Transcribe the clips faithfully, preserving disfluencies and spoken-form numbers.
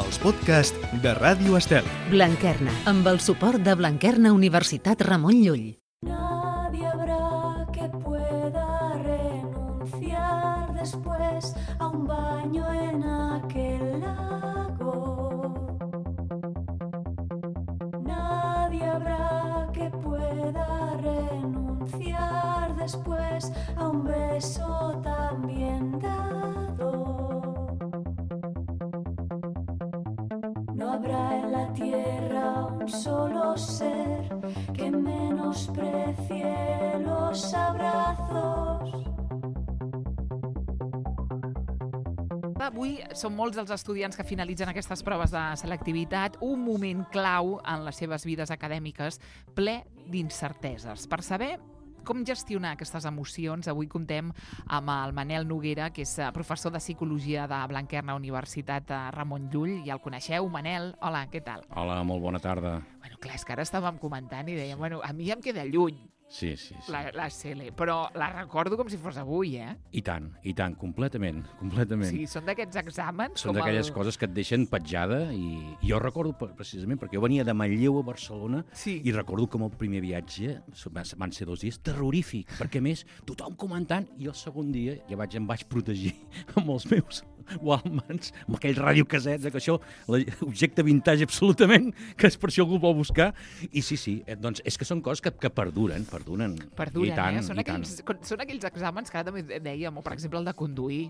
els podcasts de Ràdio Estel. Blanquerna, amb el suport de Blanquerna Universitat Ramon Llull. Nadie habrá que pueda renunciar después a un baño en aquel lago. Nadie habrá que pueda renunciar después a un beso tan bien dado. No habrá en la tierra un solo ser que menosprecie los abrazos. Avui són molts els estudiants que finalitzen aquestes proves de selectivitat, un moment clau en les seves vides acadèmiques, ple d'incerteses. Per saber com gestionar aquestes emocions, avui comptem amb el Manel Noguera, que és professor de Psicologia de Blanquerna Universitat Ramon Llull. Ja el coneixeu, Manel? Hola, què tal? Hola, molt bona tarda. Bueno, clar, és que ara estàvem comentant i dèiem, bueno, a mi ja em queda lluny. Sí, sí, sí. La, la C L, però la recordo com si fos avui, eh? I tant, i tant, completament, completament. Sí, són d'aquests exàmens... Són d'aquelles el... coses que et deixen petjada i jo recordo precisament perquè jo venia de Manlleu a Barcelona sí. i recordo com el primer viatge van ser dos dies terrorífic, perquè a més tothom comentant i el segon dia ja vaig, em vaig protegir amb els meus Walkmans, amb aquells radiocasets, que això, l'objecte vintage absolutament, que és per això algú vol buscar. I sí, sí, doncs és que són coses que, que perduren, perduren. Perduren, I tant, eh? Són i aquells, tant. Són aquells exàmens que ara també dèiem, o per exemple el de conduir.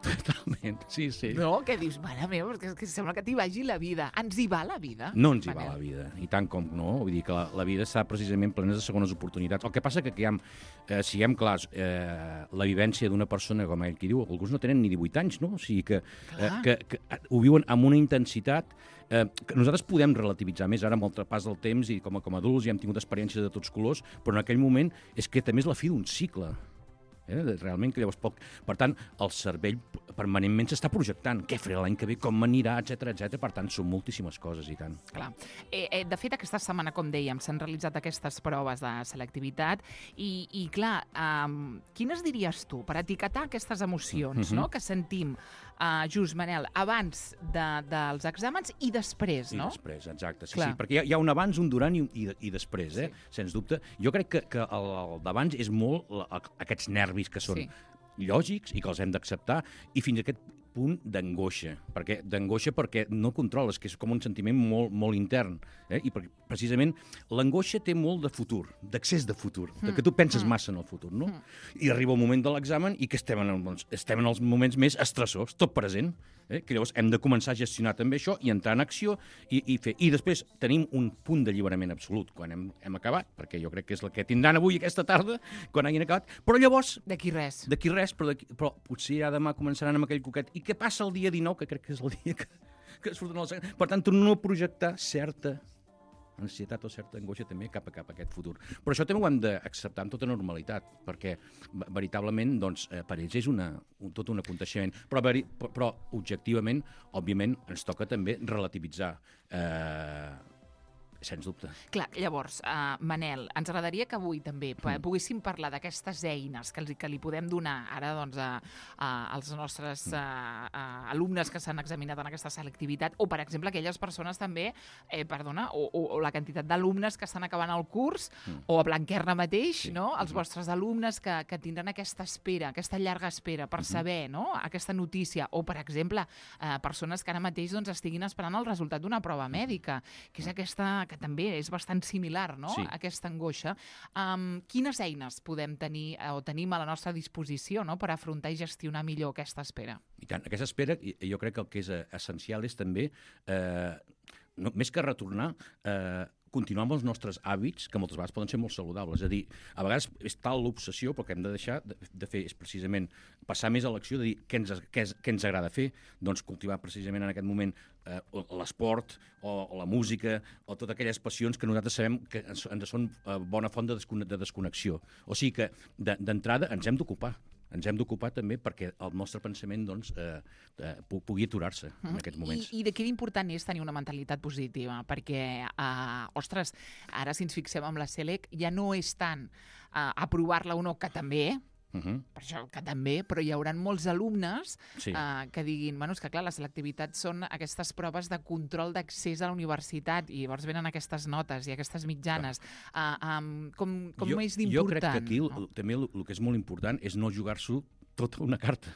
Totalment, sí, sí. No? Que dius, mare meva, que, que sembla que t'hi vagi la vida. Ens hi va la vida? No ens hi va la vida, i tant com no. Vull dir que la, la vida està precisament plena de segones oportunitats. El que passa que, que ha, eh, siguem clars, eh, la vivència d'una persona, com ell qui diu, alguns no tenen ni divuit anys, no? O sigui que, eh, que, que ho viuen amb una intensitat eh, que nosaltres podem relativitzar més ara amb el pas del temps i com a, com a adults ja hem tingut experiències de tots colors, però en aquell moment és que també és la fi d'un cicle. Eh? Realment, que llavors poc... Per tant, el cervell permanentment s'està projectant. Què faré l'any que ve, com m'anirà, etcètera, etcètera. Per tant, són moltíssimes coses, i tant. Clar. Eh, eh, de fet, aquesta setmana, com dèiem, s'han realitzat aquestes proves de selectivitat i, i clar, um, quines diries tu per etiquetar aquestes emocions mm-hmm. no? que sentim, uh, just, Manel, abans de, dels exàmens i després, no? I després, exacte. Sí, sí, perquè hi ha, hi ha un abans, un durant i, i, i després, eh? Sí. Sens dubte. Jo crec que, que el, el d'abans és molt la, aquests nervis que són sí. lògics i que els hem d'acceptar, i fins a aquest punt d'angoixa, perquè d'angoixa perquè no controles, que és com un sentiment molt, molt intern, eh? I perquè, precisament l'angoixa té molt de futur, d'accés de futur, mm. de que tu penses mm. massa en el futur, no? Mm. I arriba el moment de l'examen i que estem en, el, estem en els moments més estressors, tot present, eh? Que llavors hem de començar a gestionar també això i entrar en acció i, i fer. I després tenim un punt d'alliberament absolut quan hem, hem acabat, perquè jo crec que és el que tindran avui aquesta tarda, quan hagin acabat, però llavors... D'aquí res. D'aquí res, però, però potser ja demà començaran amb aquell coquet. I què passa el dia dinou, que crec que és el dia que, que surten els... Per tant, no projectar certa ansietat o certa angoixa també cap a cap a aquest futur. Però això també ho hem d'acceptar amb tota normalitat, perquè veritablement doncs, eh, per ells és una, un, tot un aconteixement. Però, veri, però objectivament, òbviament, ens toca també relativitzar eh, sens dubte. Clar, llavors, uh, Manel, ens agradaria que avui també mm. poguéssim parlar d'aquestes eines que, els, que li podem donar ara doncs, a, a, als nostres uh, a, alumnes que s'han examinat en aquesta selectivitat, o, per exemple, aquelles persones també, eh, perdona, o, o, o la quantitat d'alumnes que estan acabant el curs, mm. o a Blanquerna mateix, sí. no? Els mm. vostres alumnes que, que tindran aquesta espera, aquesta llarga espera per mm-hmm. saber no? aquesta notícia, o, per exemple, eh, persones que ara mateix doncs, estiguin esperant el resultat d'una prova mèdica, que és aquesta... que també és bastant similar, no?, sí. aquesta angoixa. Um, quines eines podem tenir o tenim a la nostra disposició, no?, per afrontar i gestionar millor aquesta espera? I tant, aquesta espera, jo crec que el que és essencial és també, eh, no, més que retornar, eh, continuar amb els nostres hàbits, que moltes vegades poden ser molt saludables. És a dir, a vegades és tal l'obsessió, però que hem de deixar de, de fer és precisament passar més a l'acció de dir què ens, què, és, què ens agrada fer, doncs cultivar precisament en aquest moment eh, l'esport o, o la música o totes aquelles passions que nosaltres sabem que ens, ens són eh, bona font de, descone de desconnexió. O sigui que d'entrada ens hem d'ocupar. Ens hem d'ocupar també perquè el nostre pensament doncs, eh, eh, pugui aturar-se en aquests moments. I, i de què important és tenir una mentalitat positiva? Perquè, eh, ostres, ara si ens fixem amb la SELEC ja no és tant eh, aprovar-la o no, que també, Uh -huh. per això que també, però hi haurà molts alumnes Sí. eh, que diguin, bueno, és que clar, la selectivitat són aquestes proves de control d'accés a la universitat i llavors venen aquestes notes i aquestes mitjanes. Uh, um, com com jo, és jo d'important? crec que aquí no? el, també el, el que és molt important és no jugar-s'ho tota una carta.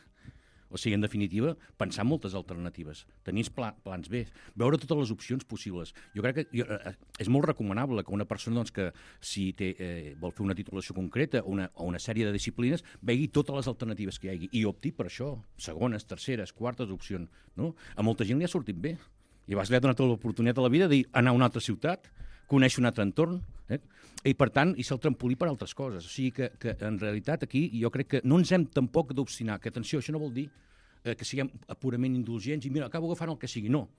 O sigui, en definitiva, pensar en moltes alternatives, tenir pla, plans B, veure totes les opcions possibles. Jo crec que jo, eh, és molt recomanable que una persona doncs, que si té, eh, vol fer una titulació concreta o una, o una sèrie de disciplines, vegi totes les alternatives que hi hagi i opti per això, segones, terceres, quartes opcions. No? A molta gent li ha sortit bé. I llavors li ha donat l'oportunitat a la vida d'anar a una altra ciutat, conèixer un altre entorn, eh? i per tant, i ser el trampolí per altres coses. O sigui que, que en realitat aquí jo crec que no ens hem tampoc d'obstinar, que atenció, això no vol dir eh, que siguem purament indulgents i mira, acabo agafant el que sigui, no.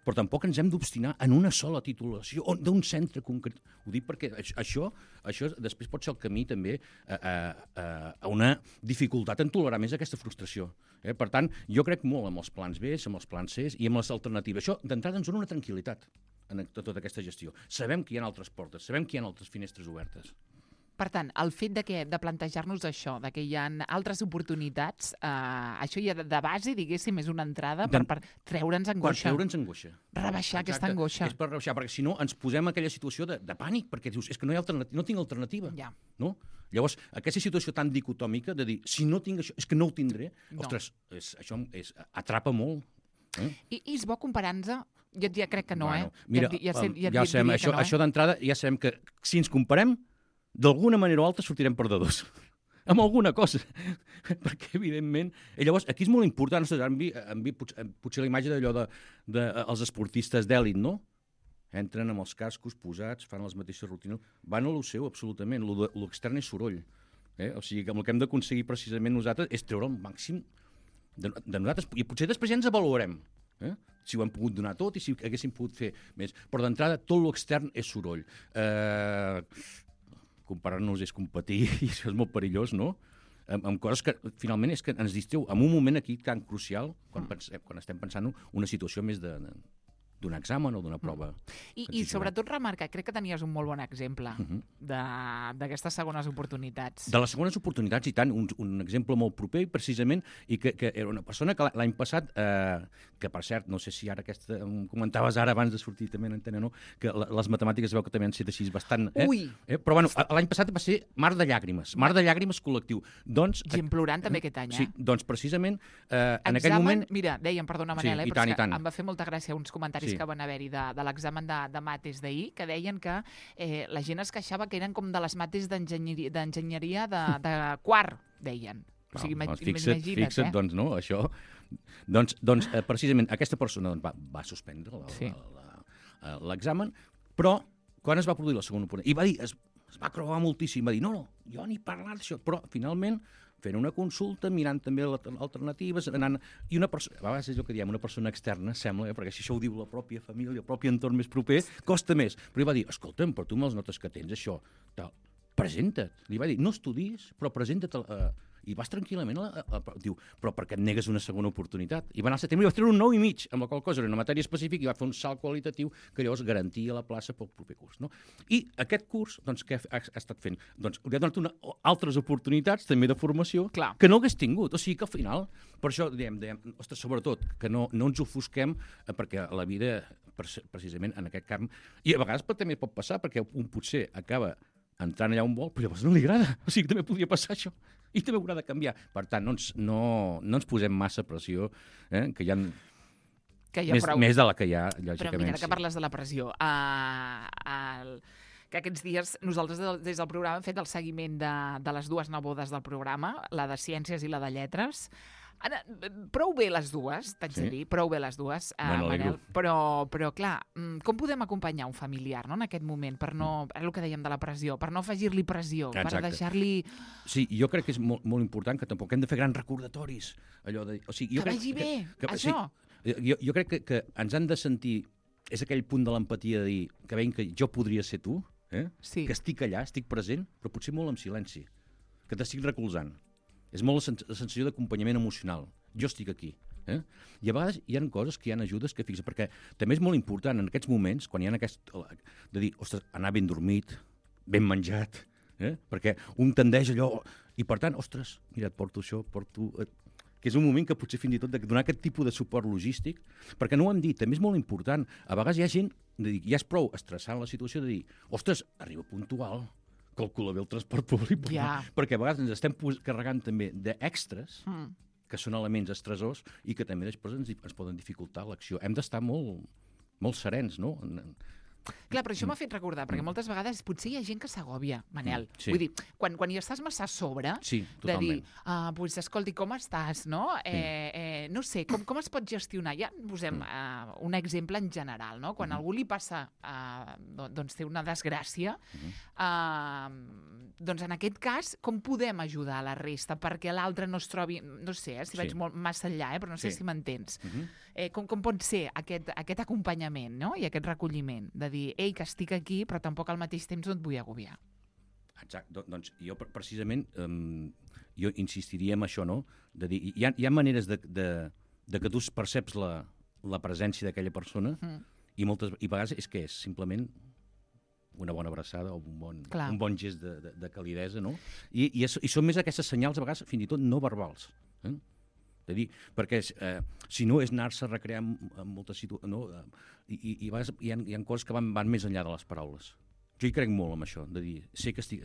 Però tampoc ens hem d'obstinar en una sola titulació o d'un centre concret. Ho dic perquè això, això després pot ser el camí també a, a, a una dificultat en tolerar més aquesta frustració. Eh? Per tant, jo crec molt amb els plans B, amb els plans C i amb les alternatives. Això, d'entrada, ens dona una tranquil·litat en tota aquesta gestió. Sabem que hi ha altres portes, sabem que hi ha altres finestres obertes. Per tant, el fet de, que, de plantejar-nos això, de que hi ha altres oportunitats, eh, això ja de, de base, diguéssim, és una entrada per, per treure'ns angoixa. Per treure'ns angoixa. Rebaixar Exacte. aquesta angoixa. És per rebaixar, perquè si no ens posem en aquella situació de, de pànic, perquè dius, és que no hi ha alternativa, no tinc alternativa. Ja. No? Llavors, aquesta situació tan dicotòmica de dir, si no tinc això, és que no ho tindré, No. ostres, és, això és, atrapa molt. Eh? I, I és bo comparant-se? Jo ja crec que no, bueno, eh? Mira, ja, ja, sé, ja, ja sabem, diria això, que no, eh? això d'entrada ja sabem que si ens comparem, d'alguna manera o altra sortirem perdedors. Amb alguna cosa. Perquè, evidentment... I llavors, aquí és molt important, en vi, en vi, potser, potser la imatge d'allò dels de, de, els esportistes d'èlit, no? Entren amb els cascos posats, fan les mateixes rutines, van a lo seu, absolutament. L'extern és soroll. Eh? O sigui, que el que hem d'aconseguir precisament nosaltres és treure el màxim de, de nosaltres. I potser després ja ens avaluarem. Eh? Si ho hem pogut donar tot i si haguéssim pogut fer més. Però d'entrada, tot l'extern és soroll. Eh... Comparar-nos és competir i això és molt perillós, no? Amb, amb coses que finalment és que ens distreu en un moment aquí tan crucial quan, pensem, quan estem pensant una situació més de, de, d'un examen o d'una prova. I, I sobretot remarcar, crec que tenies un molt bon exemple uh-huh. d'aquestes segones oportunitats. De les segones oportunitats, i tant, un, un exemple molt proper, precisament, i que, que era una persona que l'any passat, eh, que per cert, no sé si ara aquesta, em comentaves ara abans de sortir també en antena, no? Que les matemàtiques es veu que també han sigut així bastant... Eh? Ui! Eh? Però bueno, l'any passat va ser Mar de Llàgrimes, Mar de Llàgrimes col·lectiu. Doncs, Gent plorant també aquest any, eh? Sí, doncs precisament eh, en Examen, aquell moment... Mira, dèiem, perdona Manel, Sí, eh, i però tant, és i tant. que em va fer molta gràcia uns comentaris Sí. que van haver-hi de, de l'examen de, de mates d'ahir, que deien que eh, la gent es queixava que eren com de les mates d'enginyeria d'enginyeria de, de quart, deien. O sigui, No, ima- doncs fixa't, imagina't, fixa't, eh? doncs no, això... Doncs, doncs eh, precisament aquesta persona doncs, va, va suspendre la- Sí. la- la- eh, l'examen, però quan es va produir la segona oportunitat? I va dir, es, es va creuar moltíssim, va dir, no, no, jo ni parlar d'això, però finalment fent una consulta, mirant també l'alter- alternatives, anant... I una persona, a vegades és el que diem, una persona externa, sembla, eh, perquè si això ho diu la pròpia família, el propi entorn més proper, costa més. Però ell va dir, escolta'm, però tu amb les notes que tens, això, tal, presenta't. Li va dir, no estudis, però presenta't. Eh, I vas tranquil·lament, a, a, a, diu, però per què et negues una segona oportunitat? I va anar al setembre i va treure un nou i mig, amb la qual cosa era una matèria específica i va fer un salt qualitatiu que llavors garantia la plaça pel proper curs. No? I aquest curs, doncs, què ha, ha estat fent? Doncs li ha donat una, altres oportunitats també de formació Clar. que no hagués tingut. O sigui que al final, per això diem, diem ostres, sobretot, que no, no ens ofusquem, eh, perquè la vida, precisament en aquest camp, i a vegades també pot passar, perquè un potser acaba entrant allà on vol, però llavors no li agrada. O sigui, també podria passar això. I també haurà de canviar. Per tant, no ens, no, no ens posem massa pressió, eh? Que hi ha, Que hi ha més, prou. més de la que hi ha, Però lògicament. mira, que parles de la pressió. Uh, el, que aquests dies nosaltres des del programa hem fet el seguiment de, de les dues nebodes del programa, la de Ciències i la de Lletres. Ara, prou bé les dues, t'haig Sí. de dir, prou bé les dues, uh, Me n'alegro. Manel, però, però clar, mm, com podem acompanyar un familiar, no?, en aquest moment, per no, és el que dèiem de la pressió, per no afegir-li pressió, per Exacte. deixar-li... Sí, jo crec que és molt, molt important que tampoc hem de fer grans recordatoris. Allò de, o sigui, jo Que crec vagi bé, que, això. Sí, jo, jo crec que, que ens han de sentir... És aquell punt de l'empatia de dir que veiem que jo podria ser tu, eh? Sí. Que estic allà, estic present, però potser molt en silenci, que t'estic recolzant. És molt la, sens la sensació d'acompanyament emocional. Jo estic aquí. Eh? I a vegades hi ha coses que hi ha ajudes que fixen, perquè també és molt important en aquests moments, quan hi ha aquest... de dir, ostres, anar ben dormit, ben menjat, eh? Perquè un tendeix allò... I per tant, ostres, mira, et porto això, porto... que és un moment que potser fins i tot de donar aquest tipus de suport logístic, perquè no ho hem dit, també és molt important. A vegades hi ha gent, de dir, ja és prou estressant la situació de dir, ostres, arriba puntual, calcula bé el transport públic, Ja. perquè a vegades ens estem pos- carregant també d'extres, Mm. que són elements estressors i que també després ens, ens poden dificultar l'acció. Hem d'estar molt, molt serens, no? Clar, però això m'ha fet recordar, perquè moltes vegades potser hi ha gent que s'agòbia, Manel. Mm, sí. Vull dir, quan, quan hi estàs massa a sobre, Sí, de dir, totalment. ah, pues, escolti, com estàs, no? Eh, eh, no sé, com, com es pot gestionar? Ja posem uh, un exemple en general, no? Quan a algú li passa, uh, doncs té una desgràcia, uh, doncs en aquest cas, com podem ajudar a la resta perquè l'altre no es trobi, no sé, eh, si Sí. vaig molt massa enllà, eh, però no sé Sí. si m'entens. Uh -huh. Eh, com, com pot ser aquest, aquest acompanyament, no? I aquest recolliment, de dir, ei, que estic aquí, però tampoc al mateix temps no et vull agobiar. Exacte, Do- doncs jo pre- precisament um, jo insistiria en això, no? De dir, hi ha, hi ha maneres de, de, de que tu perceps la, la presència d'aquella persona Mm. i moltes i a vegades és que és simplement una bona abraçada o un bon, Clar. un bon gest de, de, de calidesa, no? I, i, és, I són més aquestes senyals, a vegades, fins i tot no verbals. Eh? De dir, perquè eh, si no és anar-se a recrear en, en moltes situacions, no? I, i, i a vegades hi ha, hi ha coses que van, van més enllà de les paraules. Jo hi crec molt en això, de dir, sé que estic,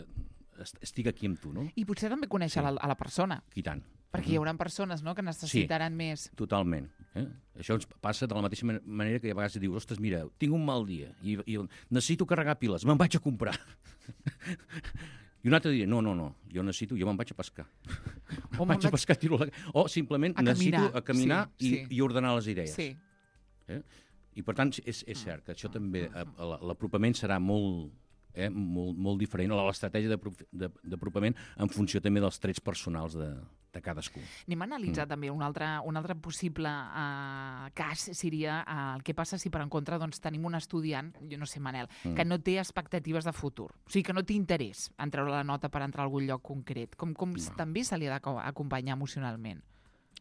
est- estic aquí amb tu, no? I potser també conèixer Sí. la, a la persona, I tant. perquè hi haurà persones, no?, que necessitaran més. Totalment. Eh? Això ens passa de la mateixa man- manera que a vegades dius, ostres, mira, tinc un mal dia i, i necessito carregar piles, me'n vaig a comprar. I un altre dia, no, no, no, jo necessito, jo me'n vaig a pescar. O vaig a pescar, tiro la... O simplement A necessito caminar, a caminar sí, i, sí. i ordenar les idees. Sí. Eh? I per tant, és, és cert que això també, eh, la- l'apropament serà molt, eh, molt, molt diferent, o l'estratègia d'aprof- de- d'apropament en funció també dels trets personals de, de cadascú. Anem a analitzar mm. també un altre, un altre possible uh, cas seria uh, el que passa si per en contra doncs, tenim un estudiant, jo no sé, Manel, mm. que no té expectatives de futur, o sigui que no té interès en treure la nota per entrar a algun lloc concret. Com, com No. també se li ha d'acompanyar emocionalment?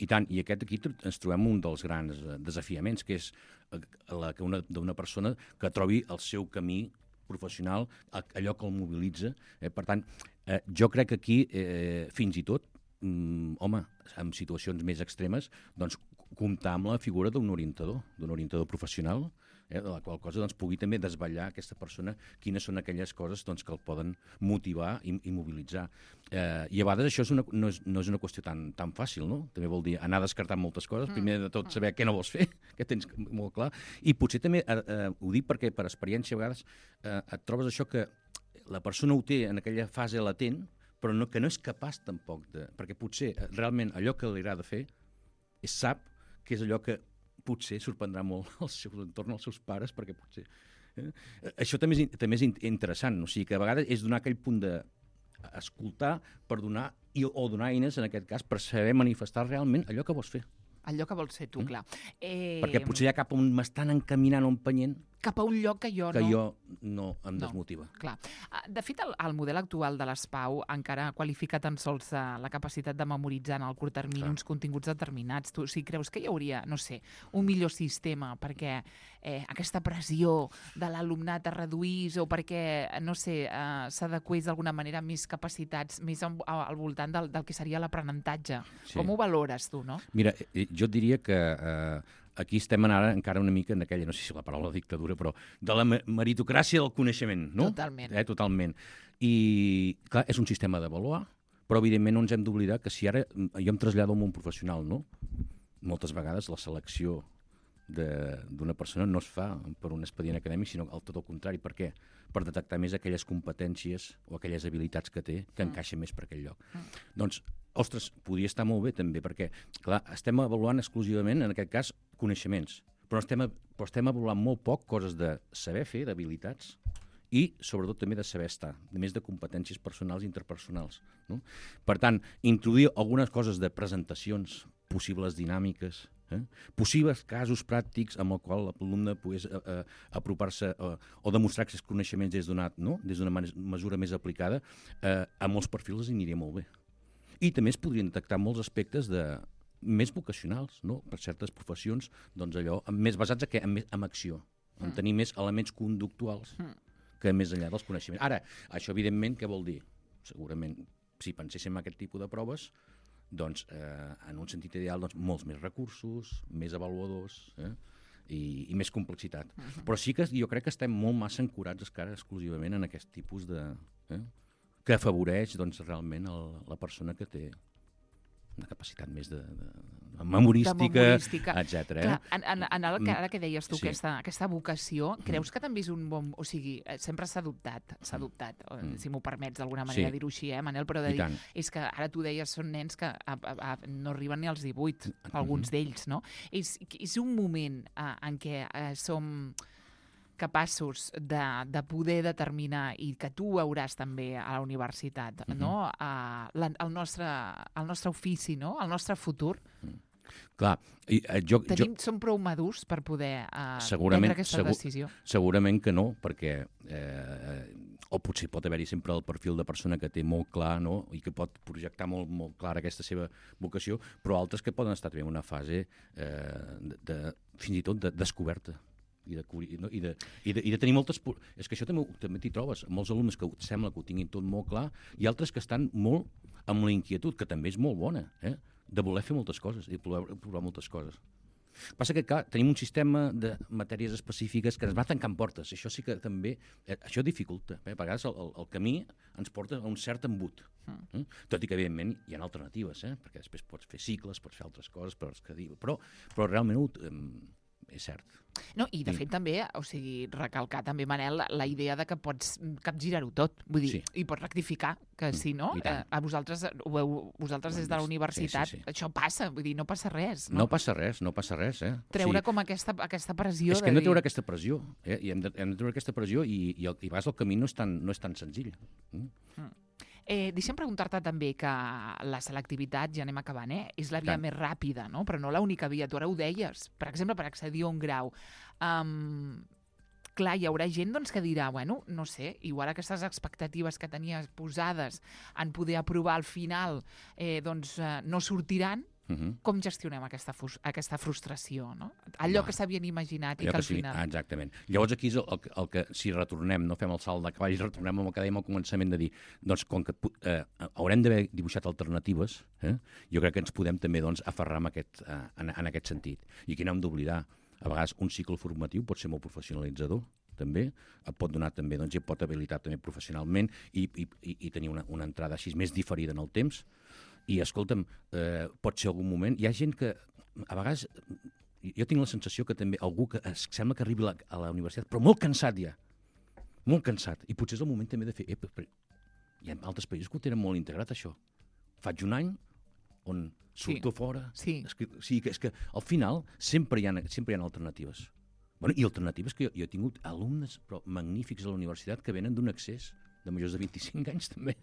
I tant, i aquest aquí tr- ens trobem un dels grans eh, desafiaments, que és eh, la que una d'una persona que trobi el seu camí professional, a- allò que el mobilitza. Eh? Per tant, eh, jo crec que aquí, eh, fins i tot, mm, home, en situacions més extremes, doncs, comptar amb la figura d'un orientador, d'un orientador professional, eh, de la qual cosa doncs, pugui també desvetllar a aquesta persona quines són aquelles coses doncs, que el poden motivar i, i mobilitzar. Eh, I a vegades això és una, no, és, no és una qüestió tan, tan fàcil, no? També vol dir anar descartant moltes coses, primer de tot saber què no vols fer, que tens molt clar, i potser també, eh, eh, ho dic perquè per experiència a vegades eh, et trobes això que la persona ho té en aquella fase latent, però no, que no és capaç tampoc de... Perquè potser eh, realment allò que li agrada fer és, sap que és allò que potser sorprendrà molt al seu entorn, als seus pares, perquè potser... Eh? Això també és, in- també és in- interessant, o sigui que a vegades és donar aquell punt de escoltar per donar, i, o donar eines, en aquest cas, per saber manifestar realment allò que vols fer. Allò que vols ser tu, Mm. clar. Eh, Perquè potser hi ha cap on m'estan encaminant o empenyent cap a un lloc que jo que no... jo no em No. desmotiva. Clar. Ah, De fet, el, el model actual de l'ESPAU encara qualifica tan sols eh, la capacitat de memoritzar en el curt termini Clar. uns continguts determinats. Tu, si creus que hi hauria, no sé, un millor sistema perquè eh, aquesta pressió de l'alumnat es reduís o perquè, no sé, eh, s'adequés d'alguna manera a més capacitats, més al, al voltant del, del que seria l'aprenentatge. Sí. Com ho valores tu, no? Mira, eh, jo et diria que eh, aquí estem ara encara una mica en aquella, no sé si la paraula dictadura, però de la me- meritocràcia del coneixement, no? Totalment. Eh, totalment. I, clar, és un sistema d'avaluar, però evidentment no ens hem d'oblidar que si ara mm, jo em trasllado al món professional, no? Moltes vegades la selecció de- d'una persona no es fa per un expedient acadèmic, sinó al tot el contrari. Per què? Per detectar més aquelles competències o aquelles habilitats que té que Mm. encaixen més per aquell lloc. Doncs, ostres, podria estar molt bé també, perquè, clar, estem avaluant exclusivament, en aquest cas, coneixements, però estem, a- però estem avaluant molt poc coses de saber fer, d'habilitats, i, sobretot, també de saber estar, de més de competències personals i interpersonals. No? Per tant, introduir algunes coses de presentacions, possibles dinàmiques, eh? possibles casos pràctics amb el qual l'alumne pogués eh, eh, apropar-se eh, o demostrar aquests coneixements des d'una no? des d'una man- mesura més aplicada, eh, a molts perfils els aniria molt bé. I també es podrien detectar molts aspectes de més vocacionals, no? Per certes professions, doncs allò, més basats en, què? en, en acció, en tenir més elements conductuals que més enllà dels coneixements. Ara, això evidentment què vol dir? Segurament si penséssim en aquest tipus de proves, doncs, eh, en un sentit ideal, doncs, molts més recursos, més avaluadors, eh? I, i més complexitat. Uh-huh. Però sí que jo crec que estem molt massa ancorats encara exclusivament en aquest tipus de... Eh? que afavoreix doncs, realment el, la persona que té una capacitat més de, de, de memorística, de memorística. etcètera. Clar, en, en, en el que, ara que deies tu, sí. aquesta, aquesta vocació, creus que també és un bon... O sigui, sempre s'ha adoptat, s'ha adoptat, mm. si m'ho permets d'alguna manera sí. dir-ho així, eh, Manel, però de dir, és que ara tu deies, són nens que a, a, a, no arriben ni als divuit, alguns mm-hmm. d'ells, no? És, és un moment eh, en què eh, som capaços de, de poder determinar, i que tu veuràs també a la universitat, mm-hmm. no? Uh, la, el, nostre, el nostre ofici, no? El nostre futur. Mm. Clar, i, uh, jo, Tenim, jo... som prou madurs per poder uh, prendre aquesta segur, decisió? Segurament que no, perquè eh, o potser pot haver-hi sempre el perfil de persona que té molt clar, no? I que pot projectar molt, molt clara aquesta seva vocació, però altres que poden estar també en una fase eh, de, de, fins i tot de descoberta. I de, no? I, de, i, de, i de tenir moltes... És que això també, també t'hi trobes. Molts alumnes que sembla que ho tinguin tot molt clar i altres que estan molt amb la inquietud, que també és molt bona, eh? De voler fer moltes coses i de provar, provar moltes coses. Passa que, clar, tenim un sistema de matèries específiques que ens va tancant portes. Això sí que també... Eh, això dificulta. Eh? A vegades el, el, el camí ens porta a un cert embut. Mm. Eh? Tot i que, evidentment, hi ha alternatives, eh? Perquè després pots fer cicles, pots fer altres coses, però, però, però realment... Eh, és cert. No, i de fet també, o sigui, recalcar també, Manel, la idea de que pots capgirar-ho tot, vull dir, sí. I pots rectificar, que si no, eh, a vosaltres, ho veu, vosaltres des de la universitat, sí, sí, sí. Això passa, vull dir, no passa res. No, no passa res, no passa res, eh? Treure sí. com aquesta, aquesta pressió. És que hem de treure dir... aquesta pressió, eh? I hem de, hem de treure aquesta pressió i, i, el, i a vegades el camí no és tan, no és tan senzill. Mm? Mm. Eh, deixa'm preguntar-te també que la selectivitat, ja anem acabant, eh? És la via Tant. més ràpida, no? Però no l'única via. Tu ara ho deies. Per exemple, per accedir a un grau. Um, clar, hi haurà gent doncs, que dirà, bueno, no sé, igual aquestes expectatives que tenies posades en poder aprovar al final eh, doncs, eh, no sortiran. Uh-huh. Com gestionem aquesta, aquesta frustració, no? Allò Va. que s'havien imaginat i que al sí, final... Exactament. Llavors aquí és el, el, el que, si retornem, no fem el salt de cavall, retornem amb el que dèiem al començament de dir, doncs com que eh, haurem d'haver dibuixat alternatives, eh, jo crec que ens podem també doncs, aferrar en aquest, eh, en, en aquest sentit. I aquí no hem d'oblidar, a vegades un cicle formatiu pot ser molt professionalitzador, també, et pot donar també, doncs, i pot habilitar també professionalment i, i, i tenir una, una entrada així més diferida en el temps. I, escolta'm, eh, pot ser algun moment... Hi ha gent que, a vegades, jo tinc la sensació que també algú que es, sembla que arribi a la, a la universitat, però molt cansat ja, molt cansat. I potser és el moment també de fer... Eh, però, hi ha altres països que ho tenen molt integrat, això. Faig un any on surto sí. fora... Sí. És que, sí, que, és que al final sempre hi ha, sempre hi ha alternatives. Bueno, i alternatives que jo, jo he tingut alumnes però magnífics a la universitat que venen d'un accés de majors de vint-i-cinc anys, també.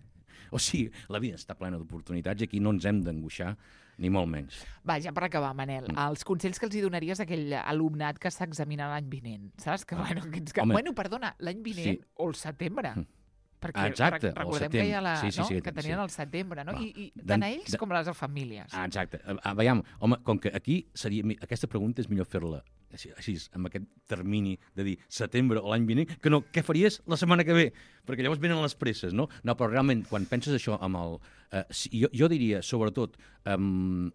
O sigui, la vida està plena d'oportunitats i aquí no ens hem d'angoixar, ni molt menys. Va, ja per acabar, Manel, mm. els consells que els hi donaries a aquell alumnat que s'examina l'any vinent, saps? Que, bueno, que, que, bueno, perdona, l'any vinent sí. o el setembre. Mm. Perquè exacte, recordem que hi ha la, sí, sí, no? sí, que tenien sí. el setembre, no? Va. I, i tant a ells de... com a les famílies. Ah, exacte. Ah, veiem, home, com que aquí seria... Aquesta pregunta és millor fer-la així, així, amb aquest termini de dir setembre o l'any vinent, que no, què faries la setmana que ve? Perquè llavors venen les presses, no? No, però realment, quan penses això amb el... Eh, jo, jo diria, sobretot, um,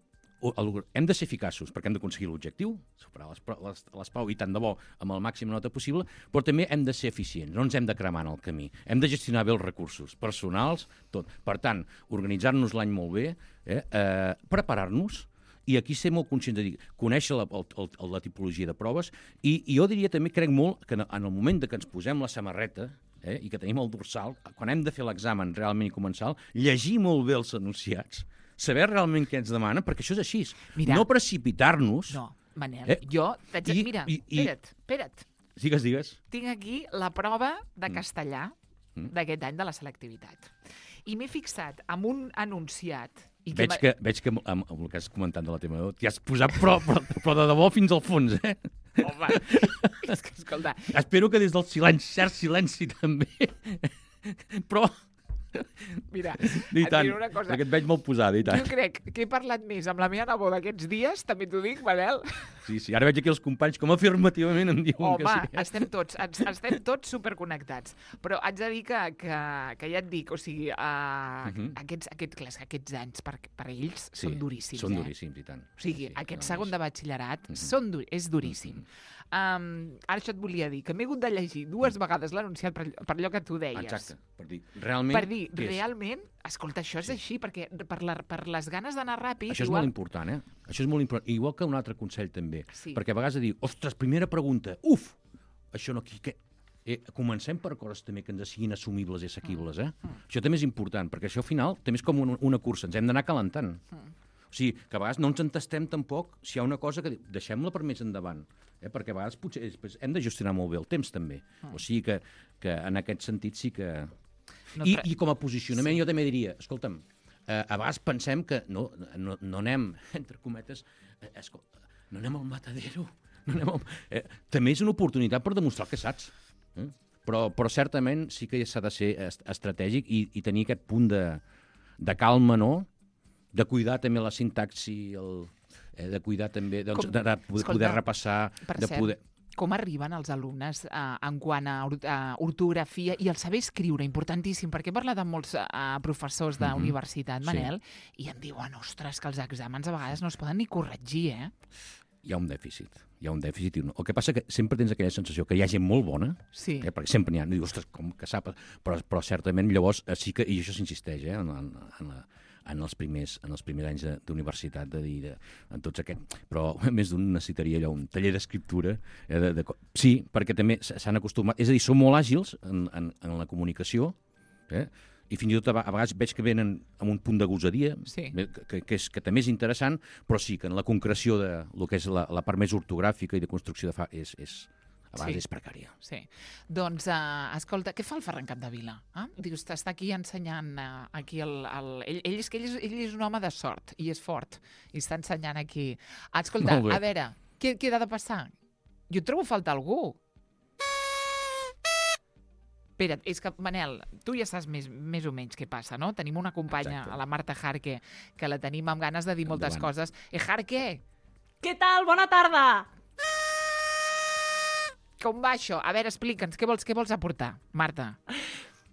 hem de ser eficaços perquè hem d'aconseguir l'objectiu, superar les, les, les pau i tant de bo amb el màxim nota possible, però també hem de ser eficients, no ens hem de cremar en el camí. Hem de gestionar bé els recursos personals, tot. Per tant, organitzar-nos l'any molt bé, eh, eh, preparar-nos, i aquí ser molt conscient de dir, conèixer la, el, el, la tipologia de proves, i, i jo diria també, crec molt, que en el moment de que ens posem la samarreta, eh, i que tenim el dorsal, quan hem de fer l'examen realment i començar, llegir molt bé els enunciats, saber realment què ens demana, perquè això és així. Mira, no precipitar-nos. No, Manel, eh? jo... T'haig de... Mira, i, i, espera't, espera't. Digues, digues. Tinc aquí la prova de castellà mm. d'aquest any de la selectivitat. I m'he fixat amb un enunciat... I que veig, que, veig que amb, amb el que has comentat de la tema t'hi has posat però, però, però de debò fins al fons, eh? Home, és que, escolta... Espero que des del silenci, cert silenci també, però... Mira, I et tant, diré una cosa. perquè et veig molt posada, i tant. Jo crec que he parlat més amb la meva neboda aquests dies, també t'ho dic, Manel. Sí, sí, ara veig aquí els companys com afirmativament em diuen Home, que sí. estem tots, ens, estem tots superconnectats. Però haig de dir que, que, que ja et dic, o sigui, uh, uh -huh. aquests, aquests, clar, aquests anys per, per ells Sí, són duríssims. Són eh? duríssims, i tant. O sigui, sí, aquest no, segon és- de batxillerat Uh -huh. són dur, és duríssim. Uh -huh. Um, ara això et volia dir, que m'he hagut de llegir dues vegades l'anunciat per, per allò que tu deies. Exacte, per dir, realment... Per dir, què és? realment, escolta, això és així, perquè per, la, per les ganes d'anar ràpid... Això és igual... molt important, eh? Això és molt important. Igual que un altre consell, també. Sí. Perquè a vegades diu, ostres, primera pregunta, uf, això no aquí... Què? Eh, comencem per coses també que ens siguin assumibles i assequibles, eh? Mm. Això també és important, perquè això al final també és com una, una cursa, ens hem d'anar calentant. Mm. O sigui, que a vegades no ens entestem tampoc si hi ha una cosa que deixem-la per més endavant, eh? Perquè a vegades potser després hem de gestionar molt bé el temps, també. Mm. O sigui que, que en aquest sentit sí que... No, I, però- I com a posicionament Sí. jo també diria, escolta'm, eh, a vegades pensem que no, no, no anem, entre cometes, eh, escolta, no anem al matadero, no anem al... Eh, també és una oportunitat per demostrar el que saps. Eh? Però, però certament sí que s'ha de ser est estratègic i, i tenir aquest punt de, de calma, no? De cuidar també la sintaxi, el, eh, de cuidar també, doncs, Com- de, de poder, escolta, poder repassar, Per de cert, poder... com arriben els alumnes uh, en quant a, or a ortografia i el saber escriure, importantíssim, perquè he parlat amb molts uh, professors d'universitat, Sí. Manel, i em diuen, ostres, que els exàmens a vegades no es poden ni corregir, eh? Hi ha un dèficit, hi ha un dèficit. I un... El que passa que sempre tens aquella sensació que hi ha gent molt bona, Sí. eh? Perquè sempre n'hi ha, dius, ostres, com que sap... Però, però certament llavors eh, sí que, i això s'insisteix, eh? en, en, en, la, en, els primers, en els primers anys de- d'universitat, de, de dir, de, en tots aquests... Però a més d'un necessitaria allò, un taller d'escriptura. Eh? De, de, sí, perquè també s- s'han acostumat... És a dir, són molt àgils en, en, en la comunicació, eh? I fins i tot a a vegades veig que venen amb un punt de gosadia, Sí. eh, que, que, és, que també és interessant, però sí que en la concreció de lo que és la, la part més ortogràfica i de construcció de fa és, és, a vegades Sí. és precària. Sí. Doncs, uh, escolta, què fa el Ferran Capdevila? Eh? Dius, està aquí ensenyant uh, aquí el... el... Ell, ell, és que ell, és, ell és un home de sort i és fort i està ensenyant aquí. Escolta, Molt bé. a veure, què, què ha de passar? Jo trobo falta algú. Espera't, és que, Manel, tu ja saps més, més o menys què passa, no? Tenim una companya, Exacte. a la Marta Jarque, que la tenim amb ganes de dir moltes Endavant. coses. Eh, Jarque, Què tal? Bona tarda! com va això? A veure, explica'ns, què vols, què vols aportar, Marta?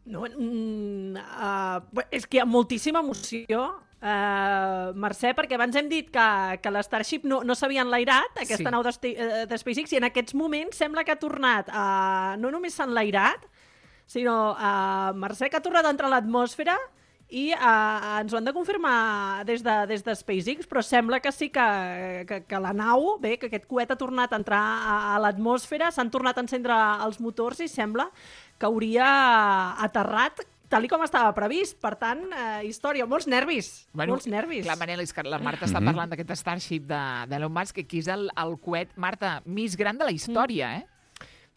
No, mm, uh, és que hi ha moltíssima emoció, uh, Mercè, perquè abans hem dit que, que l'Starship no, no s'havia enlairat, aquesta Sí. nau de, eh, de SpaceX, i en aquests moments sembla que ha tornat, uh, no només s'ha enlairat, sinó, uh, Mercè, que ha tornat a entrar a l'atmosfera i uh, ens ho han de confirmar des de, des de SpaceX, però sembla que sí que, que, que la nau, bé, que aquest coet ha tornat a entrar a, a l'atmosfera, s'han tornat a encendre els motors i sembla que hauria aterrat tal i com estava previst. Per tant, eh, història, molts nervis, molts nervis. Clar, Manel, és que la Marta està Mhm. parlant d'aquest Starship de- d'Elon Musk, que aquí és el, el coet, Marta, més gran de la història, eh?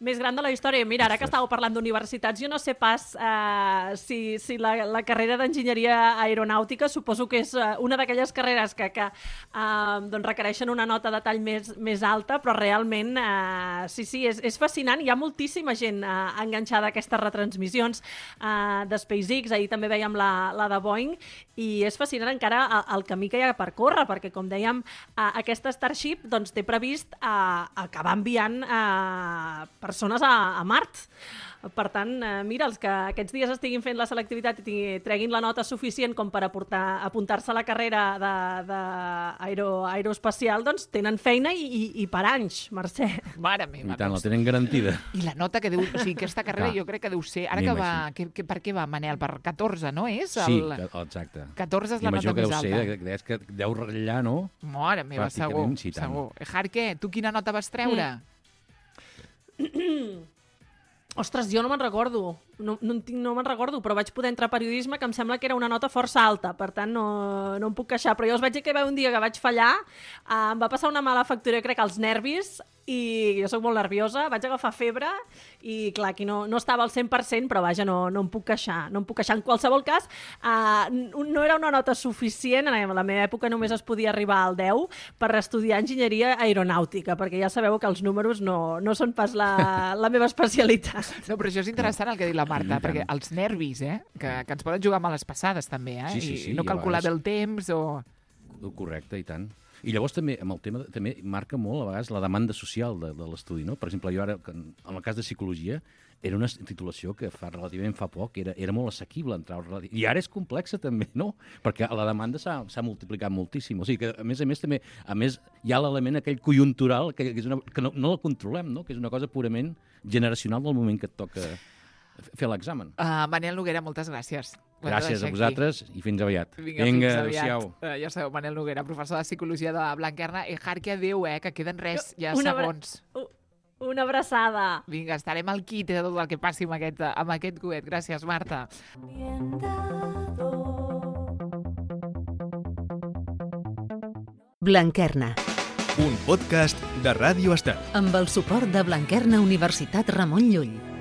Més gran de la història. Mira, ara que estàveu parlant d'universitats, jo no sé pas eh, si, si la, la carrera d'enginyeria aeronàutica suposo que és eh, una d'aquelles carreres que, que eh, doncs requereixen una nota de tall més, més alta, però realment eh, sí, sí, és, és fascinant. Hi ha moltíssima gent eh, enganxada a aquestes retransmissions eh, de SpaceX. Ahir també veiem la, la de Boeing i és fascinant encara el, el camí que hi ha per córrer, perquè, com dèiem, eh, aquesta Starship doncs, té previst eh, acabar enviant eh, persones a, a Mart. Per tant, eh, mira, els que aquests dies estiguin fent la selectivitat i tingui- treguin la nota suficient com per aportar- apuntar-se a la carrera de, de aero, aeroespacial, doncs tenen feina i, i, i per anys, Mercè. Mare meva. I tant, la doncs. tenen garantida. I la nota que deu... O sigui, aquesta carrera Clar. jo crec que deu ser... Ara Anem que va... així. Que, que, per què va, Manel? Per catorze, no és? Sí, El... que, exacte. catorze és la nota Imagino que més deu alta. ser, que, deies que deu ratllar, no? Mare meva, segur. Pràcticament, sí, tant. segur. Eh, Jarque, tu quina nota vas treure? Ostres, jo no me'n recordo, no, no, en tinc, no me'n recordo, però vaig poder entrar a periodisme, que em sembla que era una nota força alta, per tant no, no em puc queixar, però jo us vaig dir que hi va un dia que vaig fallar, eh, em va passar una mala factura, jo crec, als nervis, i jo sóc molt nerviosa, vaig agafar febre, i clar, aquí no, no estava al cent per cent, però vaja, no, no em puc queixar, no em puc queixar. En qualsevol cas, eh, no era una nota suficient, en la meva època només es podia arribar al deu per estudiar enginyeria aeronàutica, perquè ja sabeu que els números no, no són pas la, la meva especialitat. No, però això és interessant el que diu la la Marta, I perquè tant. els nervis, eh, que, que ens poden jugar males passades, també, eh? Sí, sí, sí, I no i a calcular bé vegades- el temps o... Correcte, i tant. I llavors també, amb el tema, de- també marca molt, a vegades, la demanda social de, de l'estudi, no? Per exemple, jo ara, que en en el cas de psicologia, era una titulació que fa relativament fa poc era, era molt assequible entrar al relati- I ara és complexa també, no? Perquè la demanda s'ha s'ha multiplicat moltíssim. O sigui que, a més a més, també a més hi ha l'element aquell conjuntural que, que, és una, que no, no el controlem, no? Que és una cosa purament generacional del moment que et toca fer l'examen. Uh, Manel Noguera, moltes gràcies. Ho hem de Gràcies deixar a vosaltres i fins aviat. Vinga, Vinga, fins aviat. adéu-siau. Uh, ja sabeu, Manel Noguera, professor de Psicologia de Blanquerna. I Harky, adéu, eh, que queden res, ja Una abra- segons. U- Una abraçada. Vinga, estarem al quite de tot el que passi amb aquest, amb aquest coet. Gràcies, Marta. Bien dado. Blanquerna, Un podcast de Ràdio Estel. amb el suport de Blanquerna Universitat Ramon Llull.